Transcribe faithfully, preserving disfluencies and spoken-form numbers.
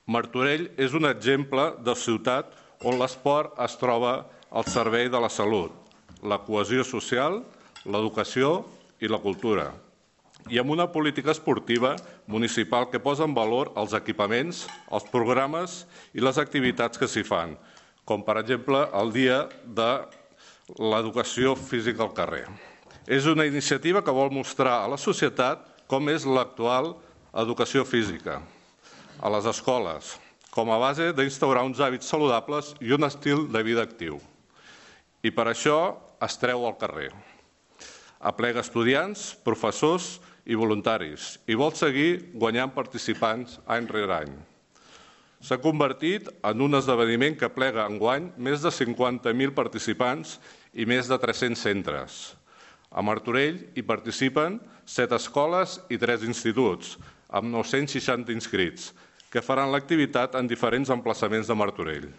Martorell és un exemple de ciutat on l'esport es troba al servei de la salut, la cohesió social, l'educació i la cultura. I amb una política esportiva municipal que posa en valor els equipaments, els programes i les activitats que s'hi fan, com per exemple el dia de l'educació física al carrer. És una iniciativa que vol mostrar a la societat com és l'actual educació física a les escoles, com a base d'instaurar uns hàbits saludables i un estil de vida actiu. I per això es treu al carrer. Aplega estudiants, professors i voluntaris i vol seguir guanyant participants any rere any. S'ha convertit en un esdeveniment que aplega enguany més de cinquanta mil participants i més de tres-cents centres. A Martorell hi participen set escoles i tres instituts, amb nou-cents seixanta inscrits, que faran l'activitat en diferents emplaçaments de Martorell.